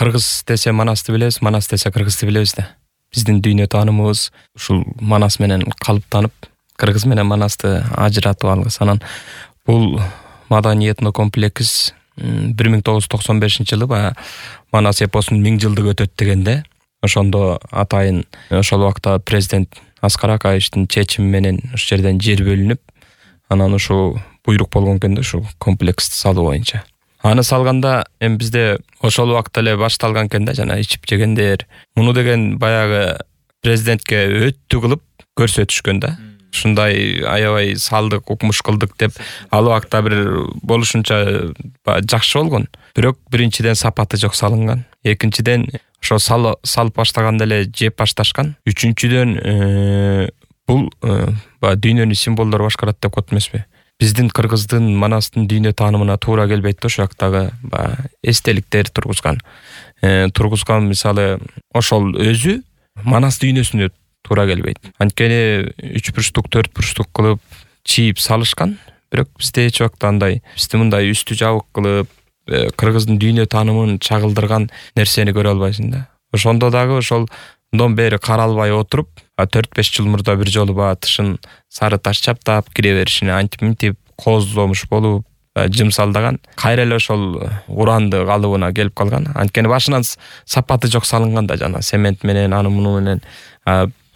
кыргыз десе Манасты билебиз, Манас десе кыргызды билебиз да. Биздин дүйнө таанымыбыз ушул Манас менен калыптанып, кыргыз менен Манасты ажыратып алгыс. Анан бул маданий этнокомплекс 1995-жылы баягы Манас эпосунун 1000 жылдыгы өтөт дегенде, ошондо атайын ошол убакта президент Аскар Акаевичтин чечими менен ошол жерден жер бөлүнүп, анан ушу буйрук болгон экен да ушу комплексти салуу боюнча. Аны салганда эми бизде ошол убакта эле башталган экен да, жана ичип жегендер. Муну деген баягы президентке өттү кылып көрсөтүшкөн да. Ушундай аябай салдык, укмуш кылдык деп ал убакта бир болушунча жакшы болгон. Бирок биринчиден сапаты жок салынган. Экинчиден ошо салып баштаганда эле жеп башташкан. Үчүнчүдөн бул дүйнөнүн символдору башкарат деп коет эмеспи? Биздин кыргыздын Манастын дүйнө таанымына туура келбейт да, ошол жактагы эстеликтер тургузган. Мисалы ошол өзү Манас дүйнөсүнө туура келбейт. Анткени 3 бурчтук, 4 бурчтук кылып чийип салышкан. Бирок бизде эч убакта андай, бизде мындай үстү жабык кылып кыргыздын дүйнө таанымын чагылдырган нерсени көрө албайсың да. Ошондо дагы ошол мындан бери каралбай отуруп, 4-5 жыл мурда бир жолу тышын сары таш чаптап кире беришине антип кооздомуш болуп жымсалдаган. Кайра эле ошол уранды калыбына келип калган. Анткени башынан сапаты жок салынган да, жана цемент менен, аны муну менен.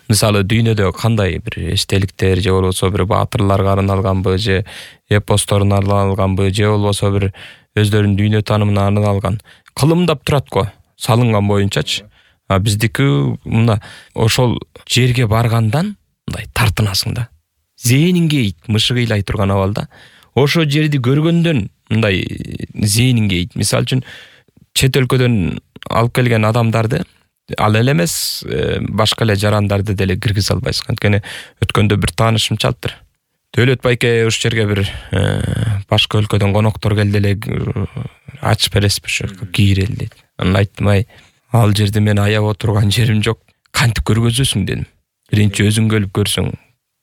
Мисалы дүйнөдө кандай бир эстеликтер же болбосо бир баатырларга арналганбы, же эпосторуна арналганбы, же болбосо бир өздөрүнүн дүйнө таанымына арналган кылымдап турат го, салынган боюнчачы. Биздики мына ошол жерге баргандан мындай тартынасың да. Зээниң кейит, мышы кыйлай турган абалда. Ошол жерди көргөндөн мындай зээниң кейит. Мисалы үчүн чет өлкөдөн алып келген адамдарды, ал эле эмес, башка эле жарандарды деле киргизе албайсың. Анткени өткөндө бир таанышым чалыптыр. Дөөлөт байке ушул жерге бир башка өлкөдөн коноктор келди эле, ачып бересизби ушу кийирели дейт. Анан айттым, ал жерде мен аяп отурган жерим жок. Кантип көргөзөсүң дедим. Биринчи өзүң келип көрсөң,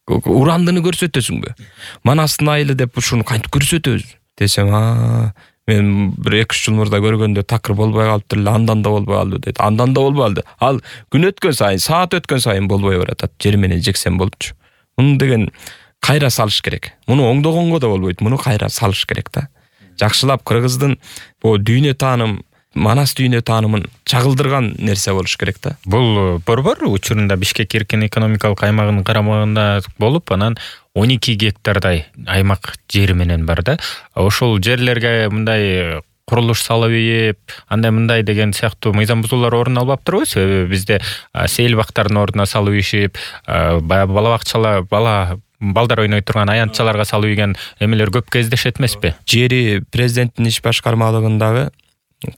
урандыны көрсөтөсүңбү? Манастын айылы деп ушуну кантип көрсөтөбүз десем, мен бир 2-3 жыл мурда көргөндө такыр болбой калыптыр эле, андан да болбой калды дейт. Андан да болбой калды. Ал күн өткөн сайын, саат өткөн сайын болбой баратат. Жер менен жексем болупчу. Муну деген кайра салыш керек. Муну оңдогонго да болбойт. Муну кайра салыш керек да. Жакшылап кыргыздын бул дүйнө тааным, Манас дүйнө таанымын чагылдырган нерсе болуш керек да. Бул борбор учурунда Бишкек эркин экономикалык аймагынын карамагында болуп, анан 12 гектардай аймак жери менен бар да. Ошол жерлерге мындай курулуш салып ийип, андай мындай деген сыяктуу мыйзам бузуулар орун албаптырбы? Себеби бизде сейил бактардын ордуна салып ийишип, бала бакчалар, балдар ойной турган аянтчаларга салып ийген эмелер көп кездешет эмеспи? Жери президенттин иш башкармалыгындагы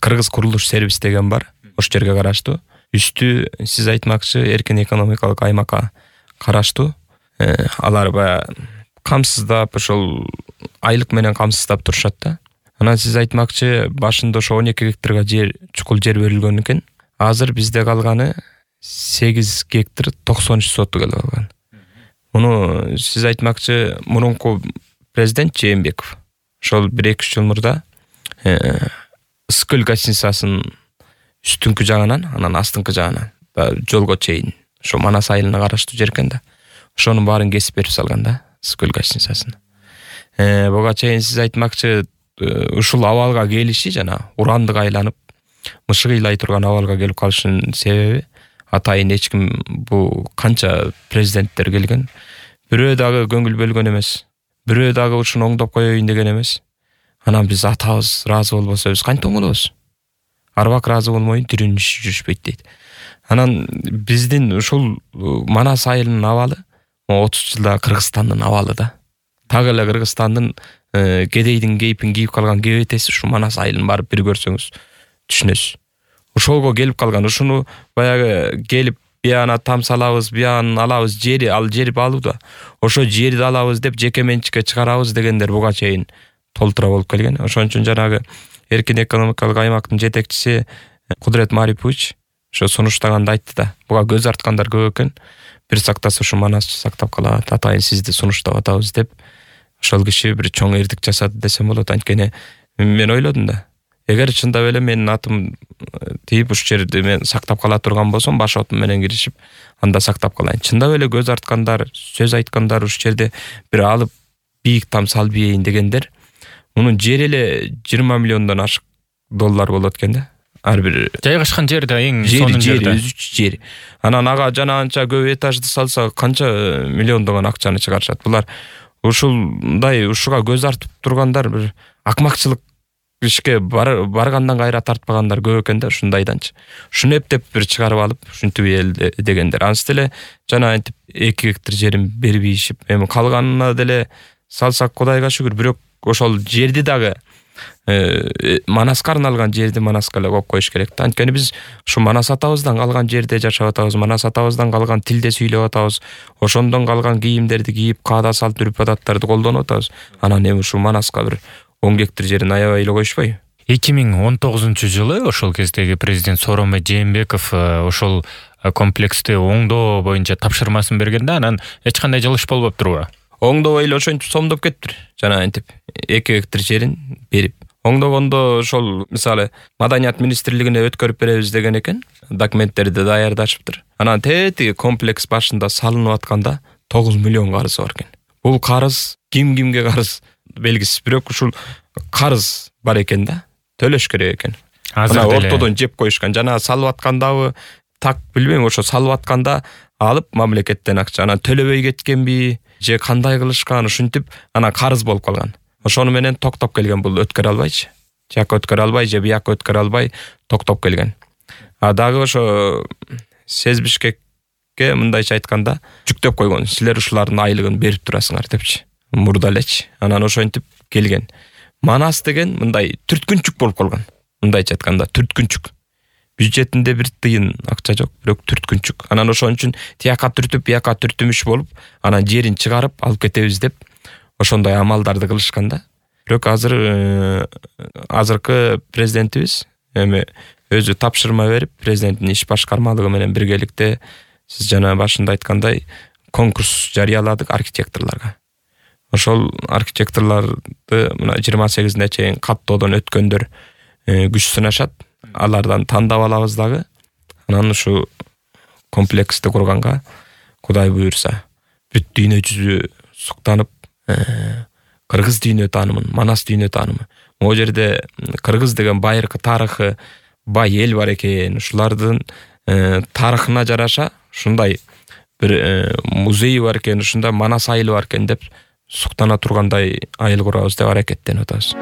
Кыргыз курулуш сервис деген бар. Ошол жерге караштуу. Үстү сиз айтмакчы эркин экономикалык аймакка караштуу. Алар камсыздап, ошол айлык менен камсыздап турушат да. Анан сиз айтмакчы башында ошо 12 гектарга жер, чукул жер берилген экен. Азыр бизде калганы 8 гектар 93 соту калган. Муну сиз айтмакчы мурунку президент Жээнбеков ошол 1-2 жыл мурда Ысыкөл гостиницасынын үстүнкү жагынан, анан астыңкы жагынан жолго чейин ошо Манас айылына караштуу жер экен да. Ошонун баарын кесип берип салган да, Ысыкөл гостиницасын. Буга чейин сиз айтмакчы ушул абалга келиши жана урандык айланып, мышы кыйлай турган абалга келип калышынын себеби атайын эч ким бул канча президенттер келген, бирөө дагы көңүл бөлгөн эмес. Бирөө дагы ушуну оңдоп коеюн деген эмес. Анан биз атабыз ыраазы болбосо биз кантип оңдойбуз? Арбак ыраазы болмойун тирүүнүн иши жүрүшпөйт дейт. Анан биздин ушул Манас айылынын абалы 30 жылда Кыргызстандын абалы да. Так эле Кыргызстандын кедейдин кейпин кийип калган кебетеси ушу Манас айылын барып бир көрсөңүз түшүнөсүз. Ошолго келип калган. Ушуну баягы келип бияна там салабыз, бияны алабыз, жери, ал жерди алууда. Ошо жерди алабыз деп жеке менчикке чыгарабыз дегендер буга чейин толтура болуп келген. Ошон үчүн жанагы эркин экономикалык аймактын жетекчиси Кудурет Марипович ошо сунуштаганда айтты да. Буга көз арткандар көп экен. Бир сактаса ушу Манасчы сактап калат, атайын сизди сунуштап атабыз деп ошол киши бир чоң эрдик жасады десем болот. Анткени мен ойлодум да. Эгер чындап эле менин атым тийип ушул жерди мен сактап кала турган болсом, баш отум менен киришип, анда сактап калайын. Чындап эле көз арткандар, сөз айткандар, ушул жерде бир алып бийик там салбейин дегендер, мунун жери эле 20 миллиондон ашык доллар болот экен да. Ар бир жайгашкан жерде эң сонун жерде. Жери. Анан ага жана анча көп этажды салса канча миллиондогон акчаны чыгарышат. Булар ушулдай ушуга көз артып тургандар бир акмакчылык ишке баргандан кайра тартпагандар көп экен да, ушундайданчы. Ушуну эптеп бир чыгарып алып, ушинтип эл дегендер. Ансыз деле жана антип 2 гектар жерин бербейишип, эми калганына деле салсак Кудайга шүгүр, бирок ошол жерди дагы Манаска арналган жерди Манаска эле коюп коюш керек да. Анткени биз ушу Манас атабыздан калган жерде жашап атабыз, Манас атабыздан калган тилде сүйлөп атабыз, ошондон калган кийимдерди кийип, каада салт үрп адаттарды колдонуп атабыз. Анан эми ушул Манаска бир 10 гектар жерин аябай эле коюшпайбы? 2019-жылы ошол кездеги президент Сооронбай Жээнбеков ошол комплексти оңдоо боюнча тапшырмасын бергенде, анан эч кандай жылыш болбоптурбу? Оңдобой эле ошентип сомдоп кетиптир. Жана антип 2 гектар жерин берип. Оңдогондо ошол мисалы Маданият министрлигине өткөрүп беребиз деген экен. Документтерди даярдашыптыр. Анан тетиги комплекс башында салынып атканда 9 миллион карызы бар экен. Бул карыз кимге карыз белгисиз, бирок ушул карыз бар экен да. Төлөш керек экен. Анан ортодон жеп коюшкан. Жана салып аткандабы так билбейм, ошо салып атканда алып мамлекеттен акча, анан төлөбөй кеткенби же кандай кылышкан, ушинтип анан карыз болуп калган. Ошону менен токтоп келген, бул өткөрө албайчы. Жака өткөрө албай же бияка өткөрө албай токтоп келген. А дагы ошо СЭС Бишкекке мындайча айтканда жүктөп койгон. Силер ушулардын айлыгын берип турасыңар депчи. Мурда элечи. Анан ошентип келген. Манас деген мындай түрткүнчүк болуп калган. Мындайча айтканда түрткүнчүк. Бюджетинде бир тыйын акча жок, бирок түрткүнчүк. Анан ошон үчүн тияка түртүп, бияка түртүмүш болуп, анан жерин чыгарып алып кетебиз деп ошондой амалдарды кылышкан да. Бирок азыркы президентибиз эми өзү тапшырма берип, президенттин иш башкармалыгы менен биргеликте сиз жана башында айткандай конкурс жарыяладык архитекторлорго. Ошол архитекторлорду мына 28-ине чейин каттоодон өткөндөр күч сынашат. Алардан тандап алабыз дагы. Анан ушу комплексти курганга Кудай буйрса бүт дүйнө жүзү суктанып, кыргыз дүйнө таанымын, Манас дүйнө таанымы. Могу жерде кыргыз деген байыркы тарыхы бай эл бар экен. Ушулардын тарыхына жараша ушундай бир музей бар экен, ушундай Манас айылы бар экен деп суктана тургандай айыл курабыз деп аракеттенип атабыз.